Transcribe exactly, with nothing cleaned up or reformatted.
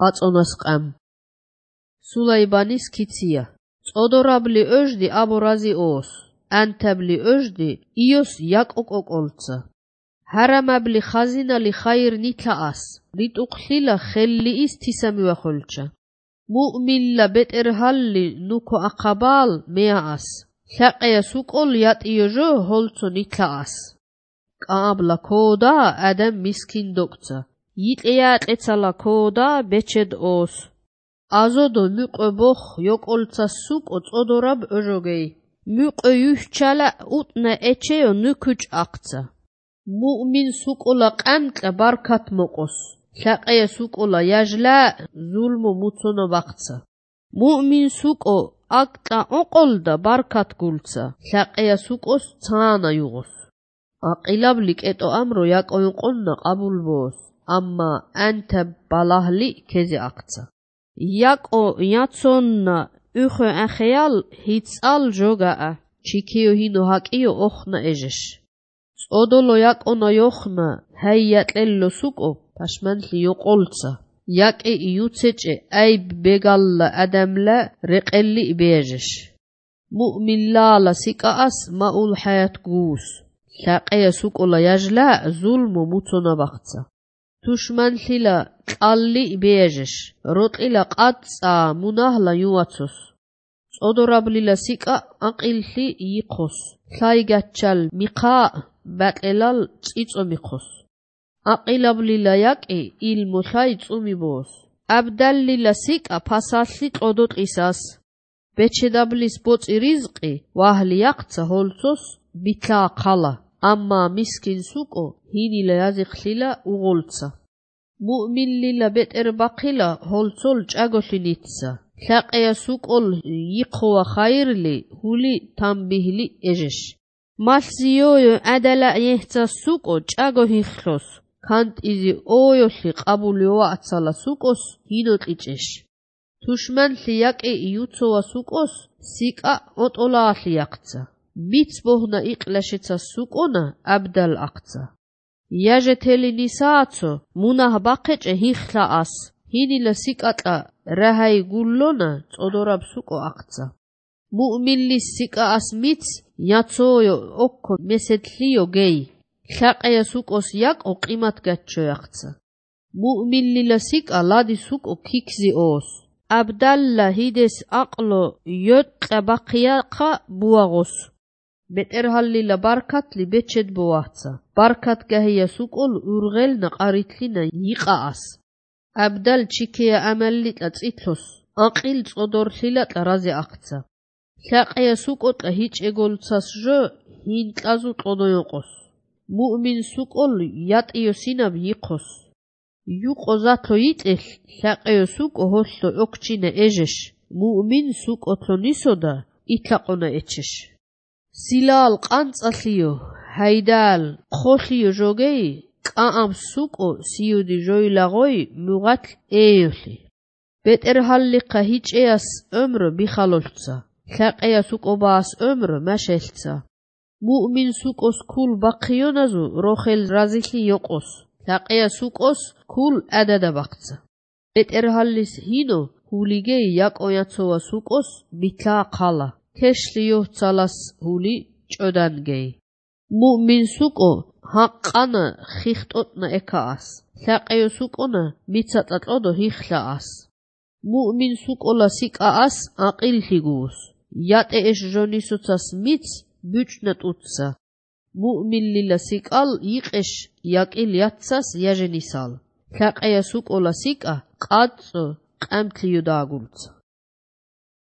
აწონას ყამ. სულაიბანის ქიცია. წოდორაბლი ოჟდი აბორაზი ოს. ანთაბლი ოჟდი იოს იაკოკოკოლცა. ჰარამაბლი ხაზინალი ხაირ ნითაას. რიტუყლილა ხელli ის თისამივახოლჩა. მუ'მინლა ბეტერჰალli ნუქო ახაბალ მეაას. ლაყია სუკოლ იატიოჟო ჰოლცო ნითაას. კაბლა ქოდა ადამ მისკინ დოქცა. იყია ყეცალა ქოდა ბეჩედ ოს. აზოდო მიყო ბოხ იოკოლცა სუკო წოდორაბ ოჟოგეი. მიყო იუშჩალა უტნა ეჩეო ნუქუჭ აქცა. მუ'მინ სუკოლა ყანტლა ბარქათ მოყოს. ლაყია სუკოლა იაჟლა ზულმო მუცონო ბახცა. მუ'მინ სუკო აკტა ოყოლდა ბარქათ გულცა. ლაყია სუკოს ცანა იუღოს. აყილაბლი კეტო ამრო იაკოინყონნა ყაბულბოს. ამა ანთა ბალაჰლი ქეზე აქცა. იაკო იაცონნა უხო ახეალ ჰიცალ ჟოგაა. ჩიქიო ჰინო ჰაკიო ოხნა ეჟეშ. წოდოლო იაკონა იოხნა ჰაიატელლო სუკო პაშმანლი იოყოლცა. იაკე იუცეჭე აიბ ბეგალლა ადამლა რეყელli ბეჟეშ. მუ'მინლალა სიკაას მაულ ჰაят გუს. ლაყია სუკოლა იაჟლა ზულმო მუცონა ბახცა. თუშმანლილა ყალli ბეჟეშ. როტილა ყაცა მუნაჰლა იუაცოს. წოდორაბლილა სიკა აყილლი იყოს. ლაიგაჩალ მიყა ბატელალ წიწო მიხოს. აყილაბლილა იაკი ილმო ლაი წუმიბოს. აბდალლილა სიკა ფასალli ყოდოტყისას. ბეჩედაბლის ბოწი რიზყი ვაჰლი აქცა ჰოლცოს ბითლა ყალა. ამა მისკინ სუკო ჰინილა აზიხლილა უღოლცა. მუ'მინლილა ბეტერ ბახილა ჰოლცოლ ჭაგოლი ნიცა. ლაყია სუკოლ იყოა ხაირლი ჰული თამბიჰლი ეჟეშ. მასიოյო ადალა ეჰცა სუკო ჭაგო ჰიხლოს. ქანტიზი ოյოლი ყაბულიოა აცალა სუკოს ჰინო ყიჭეშ. თუშმანლი იაკი იუცოა სუკოს სიკა ოტოლაალი აქცა. მიც ბოჰნა იყლაშეცა სუკონა აბდალ აქცა. იაჟეთელი ნისააცო მუნაჰ ბახეჭე ჰიხლაას. ჰინილა სიკატა რაჰაი გულლონა წოდორაბ სუკო აქცა. მუ'მინლის სიკაას მიც იაცოյო ოქო მესეთლიო გეი. ლაყია სუკოს იაკო ყიმათ გაჩო აქცა. მუ'მინლილა სიკა ლადი სუკო ქიქზი ოს. აბდალლა ჰიდეს აყლო იოტყა ბახიაყა ბუაღოს. ბეტერჰალლილა ბარქათლი ბეჩედ ბოახცა. ბარქათ გაჰია სუკოლ ურღელნა ყარითლინა იყაას. აბდალ ჩიქია ამალლიტა წითლოს. აყილ წოდორლილა ტარაზე აქცა. ლაყია სუკოტა ჰიჭეგოლცას ჟო ჰინტლაზუ ყოდოიოყოს. მუ'მინ სუკოლ იატიო სინაბ იყოს. იუყო ზათო იტეხ ლაყია სუკო ჰოლლო ოქჩინე ეჟეშ. მუ'მინ სუკოთლო ნისოდა ითლაყონა ეჩეშ. სილალ ყანწალიო ჰაიდალ ხოლიო ჟოგეი კაამ სუკო სიუდი ჟოილაღოი მუღათ ეიოლი. ბეტერჰალლიqa ჰიჭეას ომრო ბიხალოლცა. ლაყია სუკობას ომრო მაშელცა. მუ'მინ სუკოს ქულ ბახიონაზუ როხელ რაზიხი იოყოს. ლაყია სუკოს ქულ ადადა ბახცა. ბეტერჰალლის ჰინო ჰულიგე იაკოიაცოა სუკოს ბითლა ყალა. ქეშლი იოцалას ჰული ჭოდანგეი. მუ'მინ სუკო ჰაყყანა ხიხტოტნა ეკაას. ლაყია სუკონა მიცატატლოდო ჰიხლაას. მუ'მინ სუკოლა სიკაას აყილლი გუს. იატე ეშ ჟონისოცას მიც ბუჭნა ტუცა. მუ'მინლილა სიკალ იყეშ იაკილ იაცას იაჟენისალ. ლაყია სუკოლა სიკა ყაწო ყამთლიო დააგულცა.